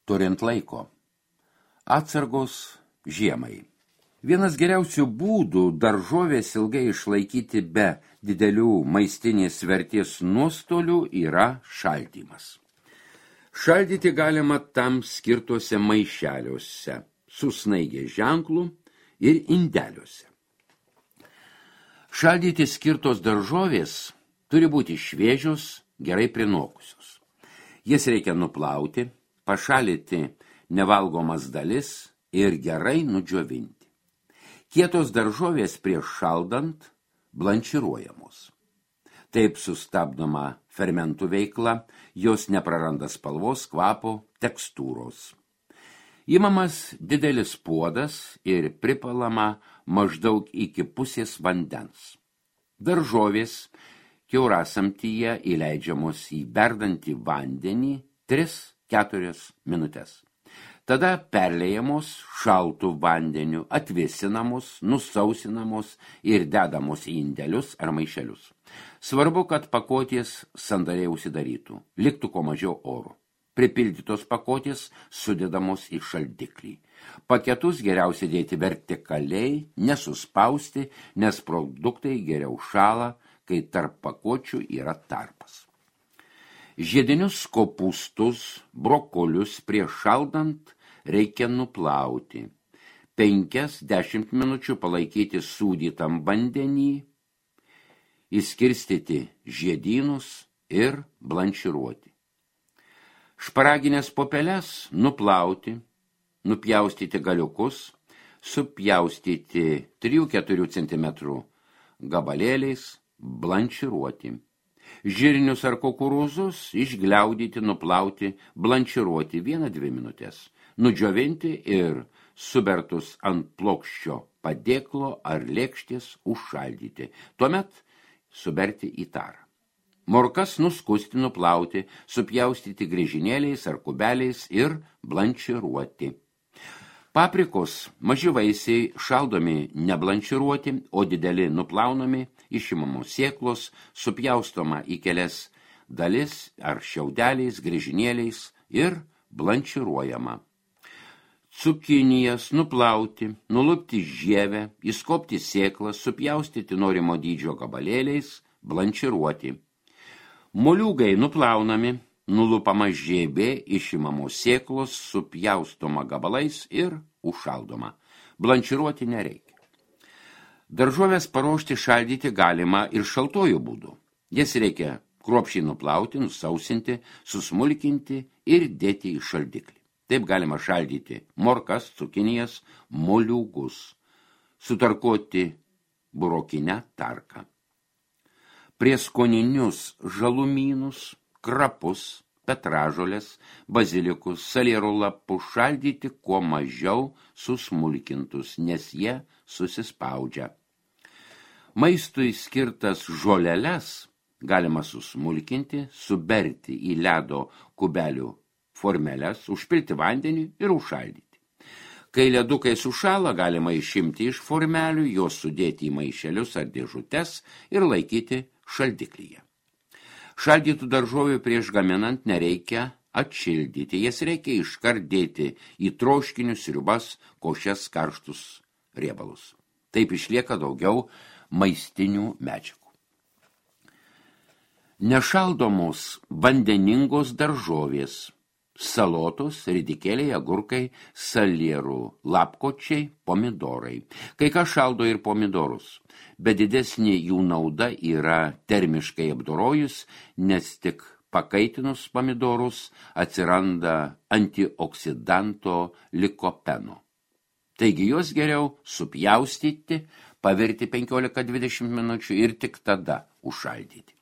turint laiko. Atsargos žiemai. Vienas geriausių būdų daržovės ilgai išlaikyti be didelių maistinės vertės nuostolių yra šaldymas. Šaldyti galima tam skirtuose maišeliuose, su snaigės ženklu ir indeliuose. Šaldyti skirtos daržovės turi būti šviežios, gerai prinokusios. Jas reikia nuplauti, pašalinti nevalgomas dalis ir gerai nudžiovinti. Kietos daržovės prieš šaldant blanširuojamos. Taip sustabdoma fermentų veikla, jos nepraranda spalvos, kvapo, tekstūros. Imamas didelis puodas ir pripalama maždaug iki pusės vandens. Daržovės kiaurasamtyje įleidžiamos į verdantį vandenį 3-4 minutes. Tada perlejamos šaltų vandeniu, atvėsinamos, nusausinamos ir dedamos į indelius ar maišelius. Svarbu, kad pakotės sandariai užsidarytų, liktų kuo mažiau oro. Pripildytos pakotės sudedamos į šaldiklį. Paketus geriausia dėti vertikaliai, nesuspausti, nes produktai geriau šąla, kai tarp pakočių yra tarpas. Žiedinius kopūstus, brokolius prieš šaldant reikia nuplauti. 5-10 minučių palaikyti sūdytam vandenį, įskirstyti žiedynus ir blanširuoti. Šparaginės popeles nuplauti, nupjaustyti galiukus, supjaustyti 3-4 cm gabalėliais, blanširuoti. Žirnius ar kukurūzus išgliaudyti, nuplauti, blanširuoti 1-2 minutės. Nudžiovinti ir subertus ant plokščio padėklo ar lėkštės užšaldyti. Tuomet suberti į tarą. Morkas nuskusti, nuplauti, supjaustyti griežinėliais ar kubeliais ir blanširuoti. Paprikos maži vaisiai šaldomi neblanširuoti, o dideli nuplaunami, išimamos sėklos, supjaustoma į kelias dalis ar šiaudeliais, griežinėliais ir blanširuojama. Cukinijas nuplauti, nulupti žievę, įskopti sėklas, supjaustyti norimo dydžio gabalėliais, blanširuoti. Moliūgai nuplaunami, nulupama žievė, išimamos sėklos, supjaustoma gabalais ir užšaldoma. Blanširuoti nereikia. Daržovės paruošti šaldyti galima ir šaltuoju būdu. Jas reikia kruopščiai nuplauti, nusausinti, susmulkinti ir dėti į šaldiklį. Taip galima šaldyti morkas, cukinijas, moliūgus, sutarkuoti burokinę tarką. Prieskoninius žalumynus, krapus, petražolės, bazilikus, salierų lapus šaldyti kuo mažiau susmulkintus, nes jie susispaudžia. Maistui skirtas žoleles galima susmulkinti, suberti į ledo kubelių formeles, užpilti vandenį ir užšaldyti. Kai ledukai sušąla, galima išimti iš formelių, juos sudėti į maišelius ar dėžutes ir laikyti šaldiklyje. Šaldytų daržovių prieš gaminant nereikia atšildyti, jas reikia iškart dėti į troškinius, sriubas, košes, karštus riebalus. Taip išlieka daugiau maistinių medžiagų. Nešaldomos vandeningos daržovės, salotos, ridikėliai, agurkai, salierų, lapkočiai, pomidorai. Kai ką šaldo ir pomidorus, bet didesnė jų nauda yra termiškai apdorojus, nes tik pakaitinus pomidorus atsiranda antioksidanto likopeno. Taigi juos geriau supjaustyti, pavirti 15-20 minučių ir tik tada užšaldyti.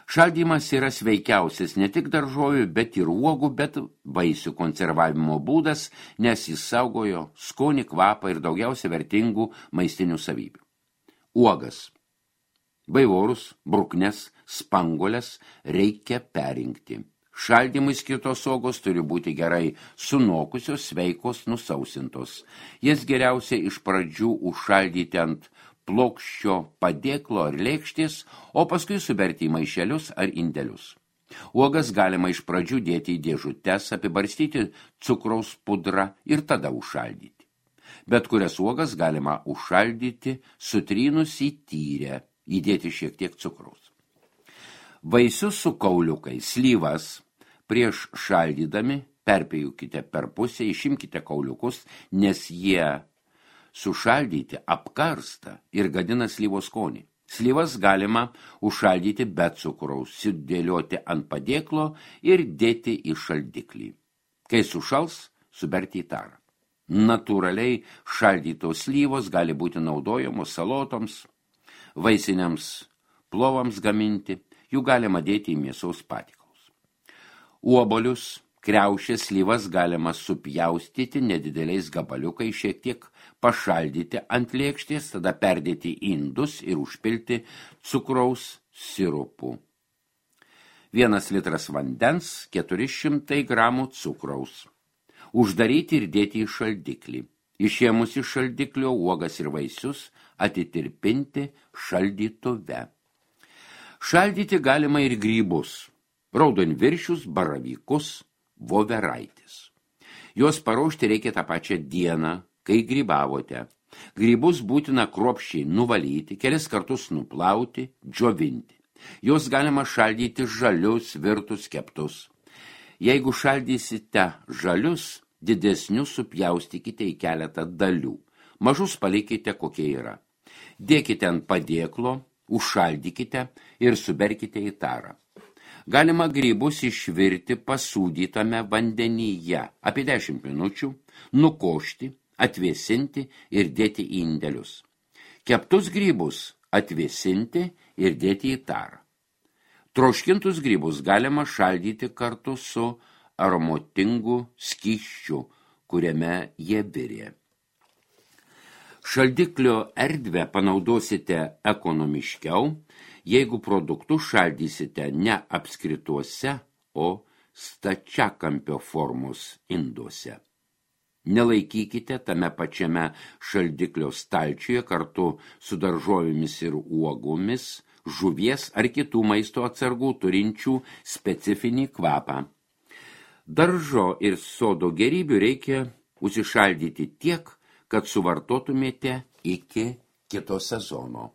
Šaldymas yra sveikiausias ne tik daržovių, bet ir uogų, bet vaisių konservavimo būdas, nes jis saugojo skonį, kvapą ir daugiausia vertingų maistinių savybių. Uogas, baivorus, bruknes, spanguoles reikia perinkti. Šaldymui skirtos uogos turi būti gerai sunokusios, sveikos, nusausintos. Jas geriausia iš pradžių užšaldyti ant plokščio padėklo ar lėkštės, o paskui suberti į maišelius ar indelius. Uogas galima iš pradžių dėti į dėžutes, apibarstyti cukraus pudrą ir tada užšaldyti. Bet kurias uogas galima užšaldyti, sutrynus į tyrę, įdėti šiek tiek cukraus. Vaisius su kauliukais, slyvas, prieš šaldydami perpjaukite per pusę, išimkite kauliukus, nes jie sušaldyti apkarsta ir gadina slyvos skonį. Slyvas galima užšaldyti be cukraus, sudėlioti ant padėklo ir dėti į šaldiklį. Kai sušals, suberti į tarą. Natūraliai šaldytos slyvos gali būti naudojamos salotoms, vaisiniams plovams gaminti, jų galima dėti į mėsos patiekalus. Obuolius, kriaušės, slyvas galima supjaustyti nedideliais gabaliukais, šiek tiek pašaldyti ant lėkštės, tada perdėti į indus ir užpilti cukraus sirupu. 1 litras vandens, 400 gramų cukraus. Uždaryti ir dėti į šaldiklį. Išėmus iš šaldiklio uogas ir vaisius atitirpinti šaldytuve. Šaldyti galima ir grybus, raudonviršius, baravykus, voveraitis. Juos paruošti reikia tą pačią dieną, kai grybavote. Grybus būtina kruopščiai nuvalyti, kelis kartus nuplauti, džiovinti. Juos galima šaldyti žalius, virtus, keptus. Jeigu šaldysite žalius, didesnius supjaustykite į keletą dalių. Mažus palikite, kokie yra. Dėkite ant padėklo, užšaldykite ir suberkite į tarą. Galima grybus išvirti pasūdytame vandenyje apie 10 minučių, nukošti, atvėsinti ir dėti į indelius. Keptus grybus atvėsinti ir dėti į tarą. Troškintus grybus galima šaldyti kartu su aromatingu skysčiu, kuriame jie virė. Šaldiklio erdvę panaudosite ekonomiškiau, jeigu produktus šaldysite ne apskrituose, o stačiakampio formos induose. Nelaikykite tame pačiame šaldiklio stalčiuje kartu su daržovėmis ir uogomis, žuvies ar kitų maisto atsargų turinčių specifinį kvapą. Daržo ir sodo gėrybių reikia užsišaldyti tiek, kad suvartotumėte iki kito sezono.